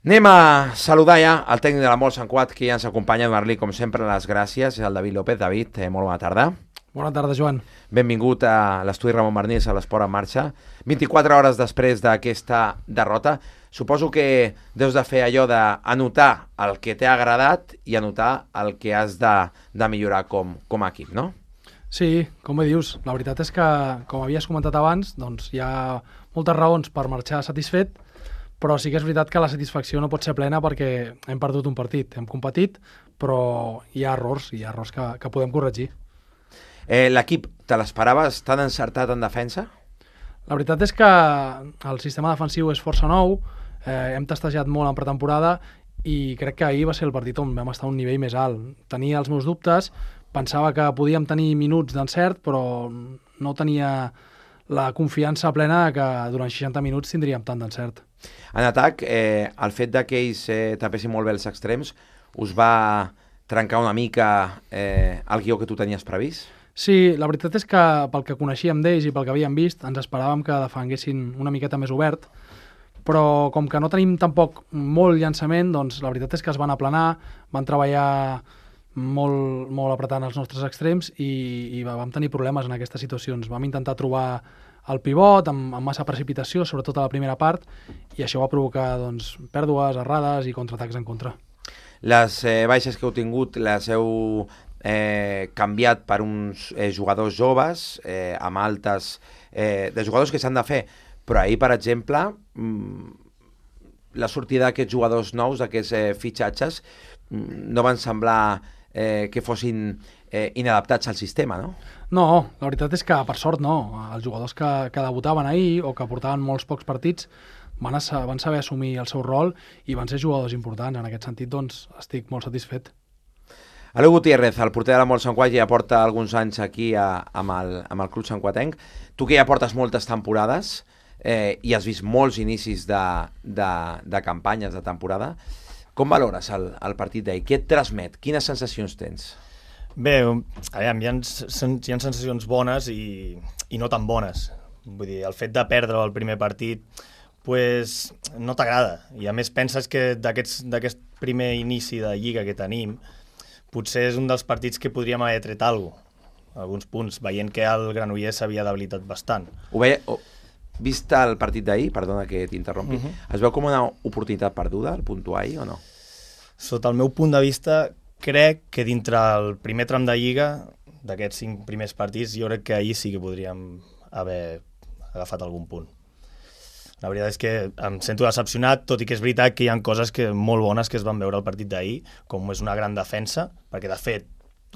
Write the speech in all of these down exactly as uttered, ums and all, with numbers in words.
Anem a saludar ja el tècnic de la Molt Sant Cugat, que ja ens acompanya, a donar-li, com sempre, les gràcies, el David López. David, eh, molt bona tarda. Bona tarda, Joan. Benvingut a l'estudi Ramon Barnils, a l'Esport en Marxa. vint-i-quatre hores després d'aquesta derrota, suposo que deus de fer allò d'anotar el que t'ha agradat i anotar el que has de, de millorar com, com a equip, no? Sí, com bé dius, la veritat és que, com havies comentat abans, doncs hi ha moltes raons per marxar satisfet, però sí que és veritat que la satisfacció no pot ser plena perquè hem perdut un partit, hem competit, però hi ha errors, hi ha errors que, que podem corregir. Eh, L'equip, te l'esperaves tan encertat en defensa? La veritat és que el sistema defensiu és força nou, eh, hem testejat molt en pretemporada i crec que ahir va ser el partit on vam estar a un nivell més alt. Tenia els meus dubtes, pensava que podíem tenir minuts d'encert, però no tenia la confiança plena que durant seixanta minuts tindríem tant d'encert. En atac, eh, el fet que ells eh, tapessin molt bé els extrems us va trencar una mica eh, el guió que tu tenies previst? Sí, la veritat és que pel que coneixíem d'ells i pel que havíem vist ens esperàvem que defenguessin una miqueta més obert, però com que no tenim tampoc molt llançament, doncs la veritat és que es van aplanar, van treballar molt, molt apretant els nostres extrems i, i vam tenir problemes en aquestes situacions. Vam intentar trobar el pivot amb, amb massa precipitació, sobretot a la primera part, i això va provocar doncs, pèrdues, errades i contraatacs en contra. Les eh, baixes que heu tingut les heu eh, canviat per uns eh, jugadors joves, eh, amb altes, eh, de jugadors que s'han de fer, però ahir, per exemple, mmm, la sortida d'aquests jugadors nous, d'aquests eh, fitxatges, mmm, no van semblar eh, que fossin eh, inadaptats al sistema, no? No, la veritat és que, per sort, no. Els jugadors que, que debutaven ahir o que portaven molts pocs partits van, a, van saber assumir el seu rol i van ser jugadors importants. En aquest sentit, doncs, estic molt satisfet. Aleu Gutiérrez, el porter de la Molt Sant Cugat, ja porta alguns anys aquí a, amb, el, amb el club santcuatenc. Tu que ja portes moltes temporades eh, i has vist molts inicis de, de, de campanyes de temporada, com valores el, el partit d'ahir? Què et transmet? Quines sensacions tens? Bé, aviam, hi ha, hi ha sensacions bones i, i no tan bones. Vull dir, el fet de perdre el primer partit pues, no t'agrada. I a més penses que d'aquest primer inici de Lliga que tenim potser és un dels partits que podríem haver tret alguna cosa, alguns punts, veient que el Granollers s'havia debilitat bastant. Ho veia, oh, vist el partit d'ahir, perdona que t'interrompi, uh-huh. Es veu com una oportunitat perduda el puntuar ahir o no? Sota el meu punt de vista, crec que dintre el primer tram de Lliga, d'aquests cinc primers partits, jo crec que ahir sí que podríem haver agafat algun punt. La veritat és que em sento decepcionat, tot i que és veritat que hi ha coses que, molt bones que es van veure al partit d'ahir, com és una gran defensa, perquè de fet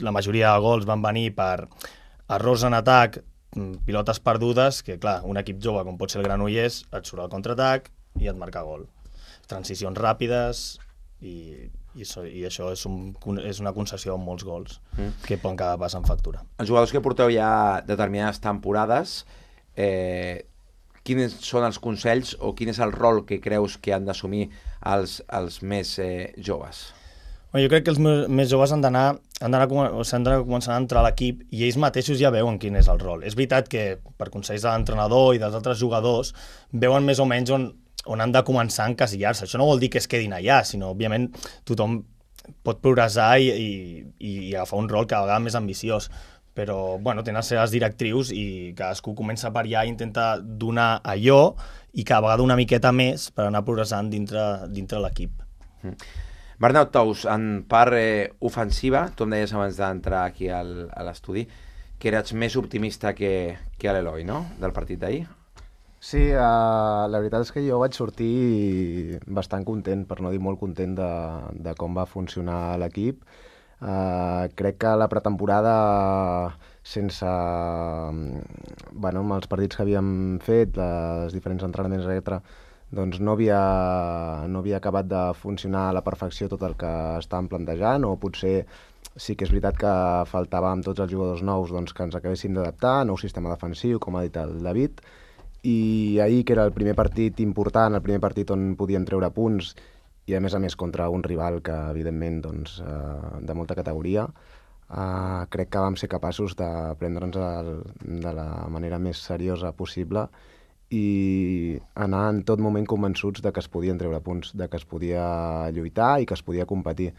la majoria de gols van venir per errors en atac, pilotes perdudes, que clar, un equip jove com pot ser el Granollers et surt al contraatac i et marca gol. Transicions ràpides i, i, so, i això és, un, és una concessió amb molts gols mm. que poden acabar passant factura. Els jugadors que porteu ja determinades temporades, eh, quins són els consells o quin és el rol que creus que han d'assumir els, els més eh, joves? Bueno, jo crec que els més joves han d'anar han d'anar s'han de començar a entrar a l'equip i ells mateixos ja veuen quin és el rol. És veritat que per consells de l'entrenador i dels altres jugadors veuen més o menys on, on han de començar a encasillar-se. Això no vol dir que es quedin allà, sinó òbviament tothom pot progressar i, i, i agafar un rol cada vegada més ambiciós. Però bueno, tenen les seves directrius i cadascú comença per allà i intenta donar allò i cada vegada una miqueta més per anar progressant dintre, dintre l'equip. Mm. Bernat Tous, en part eh, ofensiva, tu em deies abans d'entrar aquí al, a l'estudi, que eres més optimista que, que l'Eloi, no?, del partit d'ahir? Sí, uh, la veritat és que jo vaig sortir bastant content, per no dir molt content de, de com va funcionar l'equip. Uh, crec que la pretemporada, sense bueno, amb els partits que havíem fet, els diferents entrenaments, etcètera, doncs no havia, no havia acabat de funcionar a la perfecció tot el que estàvem plantejant, o potser sí que és veritat que faltava amb tots els jugadors nous doncs, que ens acabessin d'adaptar, nou sistema defensiu, com ha dit el David, i ahir, que era el primer partit important, el primer partit on podien treure punts, i a més a més contra un rival que evidentment doncs, eh, de molta categoria, eh, crec que vam ser capaços de prendre'ns el, de la manera més seriosa possible i anar en tot moment convençuts de que es podien treure punts, de que es podia lluitar i que es podia competir.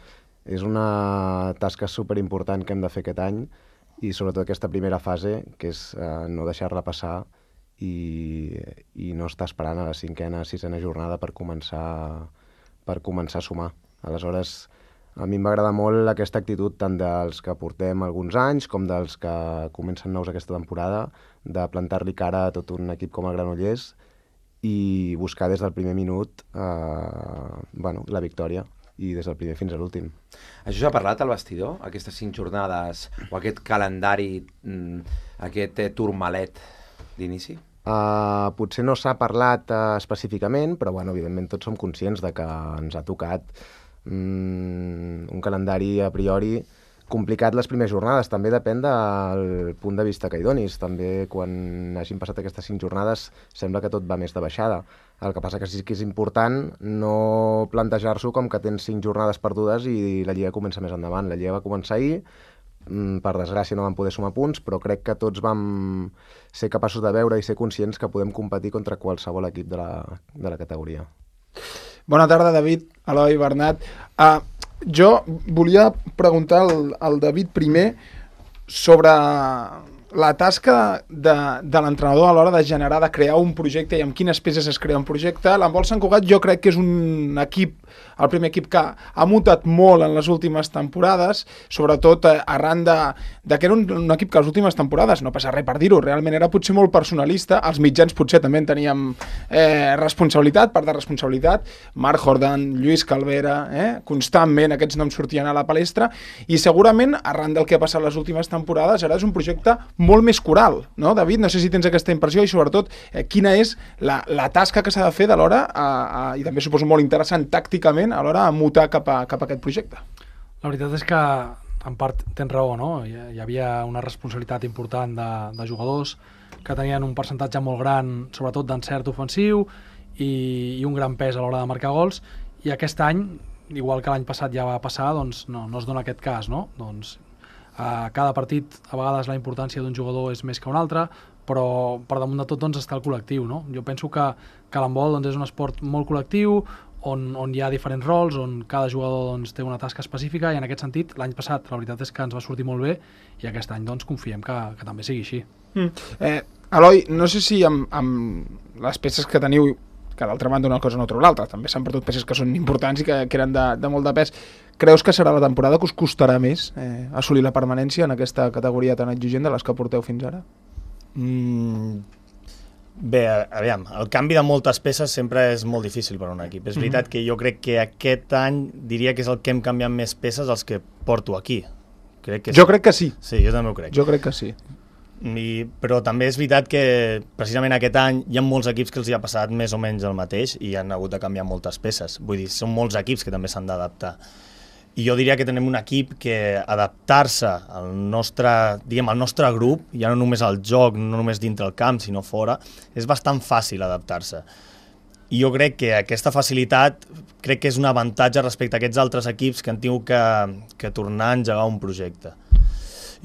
És una tasca superimportant que hem de fer aquest any i sobretot aquesta primera fase, que és eh, no deixar-la passar i, i no estar esperant a la cinquena, sisena jornada per començar, per començar a sumar. Aleshores, a mi m'agrada molt aquesta actitud tant dels que portem alguns anys com dels que comencen nous aquesta temporada, de plantar-li cara a tot un equip com el Granollers i buscar des del primer minut eh, bueno, la victòria, i des del primer fins a l'últim. Això s'ha parlat al vestidor, aquestes cinc jornades, o aquest calendari, aquest turmalet d'inici? Uh, potser no s'ha parlat uh, específicament, però bueno, evidentment tots som conscients de que ens ha tocat um, un calendari a priori complicat les primeres jornades. També depèn del punt de vista que hi donis. També quan hagin passat aquestes cinc jornades sembla que tot va més de baixada. El que passa que sí que és important no plantejar-s'ho com que tens cinc jornades perdudes i la Lliga comença més endavant. La Lliga va començar ahir, per desgràcia no vam poder sumar punts, però crec que tots vam ser capaços de veure i ser conscients que podem competir contra qualsevol equip de la, de la categoria. Bona tarda, David, Eloi, Bernat. Uh, jo volia preguntar al, al David primer sobre la tasca de, de l'entrenador a l'hora de generar, de crear un projecte i amb quines peces es crea un projecte. L'Handbol Sant Cugat jo crec que és un equip, el primer equip que ha mutat molt en les últimes temporades, sobretot arran de, de que era un, un equip que les últimes temporades, no passa res per dir-ho, realment era potser molt personalista, els mitjans potser també en teníem eh, responsabilitat, part de responsabilitat, Marc Jordan, Lluís Calvera, eh, constantment aquests noms sortien a la palestra, i segurament arran del que ha passat les últimes temporades ara és un projecte molt més coral, no, David? No sé si tens aquesta impressió i sobretot eh, quina és la, la tasca que s'ha de fer de l'hora, a, a, i també suposo molt interessant tàcticament, a l'hora de mutar cap a, cap a aquest projecte. La veritat és que en part tens raó, no? Hi, hi havia una responsabilitat important de, de jugadors que tenien un percentatge molt gran, sobretot d'encert ofensiu i, i un gran pes a l'hora de marcar gols, i aquest any, igual que l'any passat ja va passar, doncs no, no es dona aquest cas, no? Doncs a cada partit a vegades la importància d'un jugador és més que un altre, però per damunt de tot doncs, està el col·lectiu, no? Jo penso que, que l'handbol doncs, és un esport molt col·lectiu, on, on hi ha diferents rols, on cada jugador doncs, té una tasca específica, i en aquest sentit l'any passat la veritat és que ens va sortir molt bé, i aquest any doncs, confiem que, que també sigui així. Mm. Eh, Eloi, no sé si amb, amb les peces que teniu, que d'altra banda una cosa no treu l'altra, també s'han perdut peces que són importants i que, que eren de, de molt de pes. Creus que serà la temporada que us costarà més eh, assolir la permanència en aquesta categoria tan exigent de les que porteu fins ara? Mm, bé, aviam, el canvi de moltes peces sempre és molt difícil per a un equip. És veritat que jo crec que aquest any diria que és el que hem canviat més peces els que porto aquí. Crec que jo sí. crec que sí. Sí, jo també ho crec. Jo crec que sí. I, però també és veritat que precisament aquest any hi ha molts equips que els hi ha passat més o menys el mateix i han hagut de canviar moltes peces. Vull dir, són molts equips que també s'han d'adaptar. I jo diria que tenim un equip que adaptar-se al nostre, diguem, al nostre grup, ja no només al joc, no només dintre el camp, sinó fora, és bastant fàcil adaptar-se. I jo crec que aquesta facilitat crec que és un avantatge respecte a aquests altres equips que han tingut que, que tornar a engegar un projecte.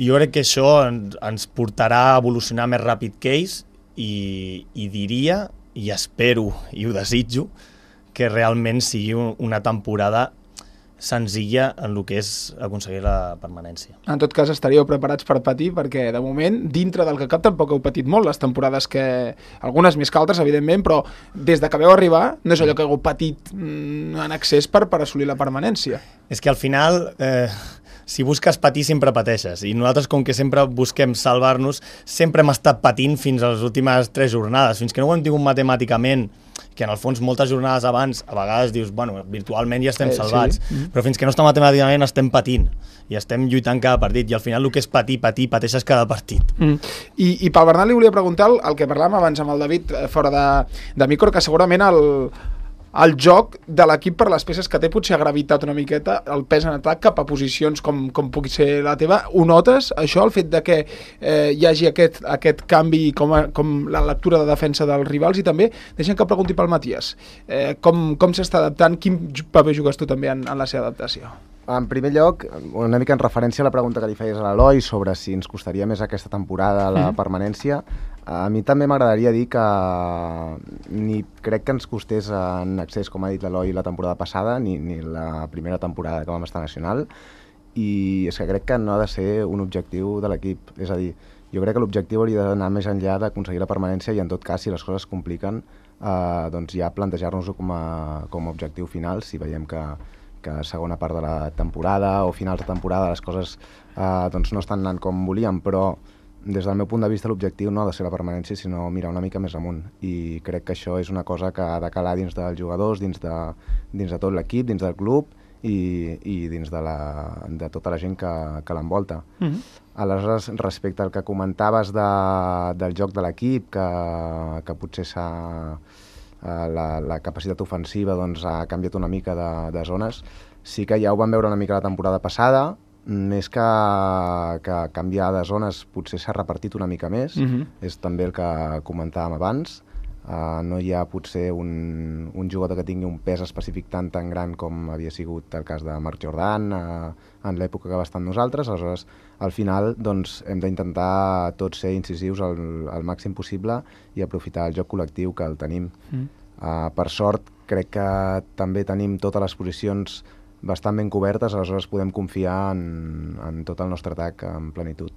I jo crec que això ens, ens portarà a evolucionar més ràpid que ells i, i diria, i espero, i ho desitjo, que realment sigui una temporada senzilla en el que és aconseguir la permanència. En tot cas, estaríeu preparats per patir, perquè de moment, dintre del que cap, tampoc heu patit molt les temporades que... Algunes més que altres, evidentment, però des de que veu arribar, no és allò que heu patit mm, en excés per, per assolir la permanència. És que al final... Eh... Si busques patir, sempre pateixes. I nosaltres, com que sempre busquem salvar-nos, sempre hem estat patint fins a les últimes tres jornades. Fins que no ho hem tingut matemàticament, que en el fons moltes jornades abans, a vegades dius, bueno, virtualment ja estem eh, salvats, sí. Però fins que no està matemàticament estem patint. I estem lluitant cada partit. I al final el que és patir, patir, pateixes cada partit. Mm. I, I pel Bernat li volia preguntar el, el que parlàvem abans amb el David fora de, de micro, que segurament el... el joc de l'equip per les peces que té potser ha gravitat una miqueta el pes en atac cap a posicions com, com pugui ser la teva. Ho notes, això, el fet de que eh, hi hagi aquest, aquest canvi com, a, com la lectura de defensa dels rivals? I també, deixem que pregunti pel Matías, eh, com, com s'està adaptant, quin paper jugues tu també en, en la seva adaptació? en primer lloc, una mica en referència a la pregunta que li feies a l'Eloi sobre si ens costaria més aquesta temporada la mm-hmm. permanència, a mi també m'agradaria dir que ni crec que ens costés en accés, com ha dit l'Eloi, la temporada passada, ni, ni la primera temporada que vam estar nacional, i és que crec que no ha de ser un objectiu de l'equip. És a dir, jo crec que l'objectiu hauria d'anar més enllà d'aconseguir la permanència i, en tot cas, si les coses es compliquen, eh, doncs ja plantejar-nos-ho com a, com a objectiu final, si veiem que, que a segona part de la temporada o finals de temporada les coses eh, doncs no estan anant com volíem, però des del meu punt de vista l'objectiu no ha de ser la permanència, sinó mirar una mica més amunt, i crec que això és una cosa que ha de calar dins dels jugadors, dins de, dins de tot l'equip, dins del club i, i dins de, la, de tota la gent que, que l'envolta. Mm-hmm. Aleshores, respecte al que comentaves de, del joc de l'equip, que, que potser s'ha, la, la capacitat ofensiva doncs, ha canviat una mica de, de zones, sí que ja ho vam veure una mica la temporada passada, més que, que canviar de zones potser s'ha repartit una mica més, mm-hmm. és també el que comentàvem abans. Uh, no hi ha potser un, un jugador que tingui un pes específic tan tan gran com havia sigut el cas de Marc Jordan uh, en l'època que va estar amb nosaltres. Aleshores, al final doncs, hem d'intentar tots ser incisius al, al màxim possible i aprofitar el joc col·lectiu que el tenim. Mm. Uh, per sort, crec que també tenim totes les posicions bastant ben cobertes, aleshores podem confiar en, en tot el nostre atac en plenitud.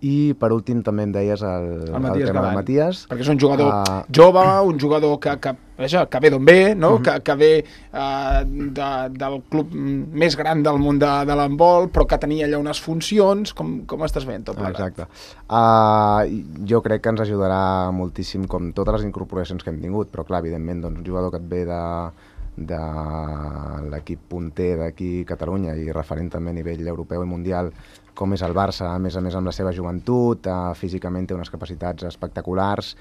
I per últim també em deies el, el, el Matías tema Galán, del Matías. perquè és un jugador uh, jove, un jugador que, que, que ve d'on ve, no? uh-huh. que, que ve uh, de, del club més gran del món de, de l'handbol, però que tenia allà unes funcions. Com, com estàs veient tot plegat? Exacte. Uh, jo crec que ens ajudarà moltíssim, com totes les incorporacions que hem tingut, però clar, evidentment, doncs, un jugador que et ve de, de l'equip punter d'aquí a Catalunya i referent també a nivell europeu i mundial, com és el Barça, a més a més amb la seva joventut, eh, físicament té unes capacitats espectaculars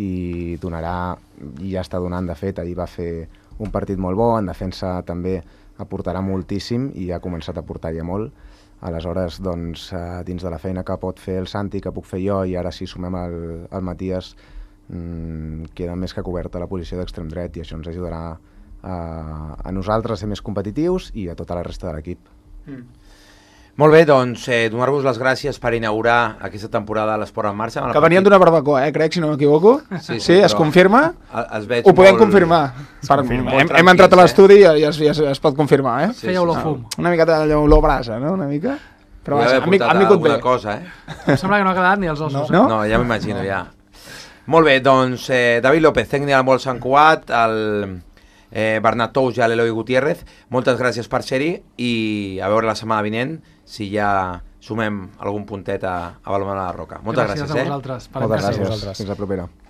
i donarà, i ja està donant de fet, ahir va fer un partit molt bo, en defensa també aportarà moltíssim i ha començat a aportar ja molt. Aleshores, doncs, eh, dins de la feina que pot fer el Santi, que puc fer jo, i ara si sumem el, el Matías, mmm, queda més que coberta la posició d'extrem dret i això ens ajudarà a, a nosaltres a ser més competitius i a tota la resta de l'equip. Mm. Molt bé, doncs eh, donar-vos les gràcies per inaugurar aquesta temporada de l'Esport en Marxa. Que venien d'una barbacoa, eh, crec, si no m'equivoco. Sí, sí, sí, es confirma? Es veig Ho podem molt... confirmar. Per, confirma. Hem, hem entrat a l'estudi i ja es, ja es pot confirmar, eh? Sí, feia olor fum. Una miqueta d'olor brasa, no? Una mica. Però vaja, han vingut bé. Cosa, eh? Em sembla que no ha quedat ni els ossos. No, no? no ja m'imagino, no. ja. Molt bé, doncs eh, David López, tècnic del Handbol Sant Cugat, el eh, Bernat Tous i l'Eloi Gutiérrez, moltes gràcies per ser-hi i a veure la setmana vinent si ja sumem algun puntet a, a Balonmano de la Roca. Moltes gràcies, gràcies a vosaltres. Eh? Moltes gràcies. Fins la propera.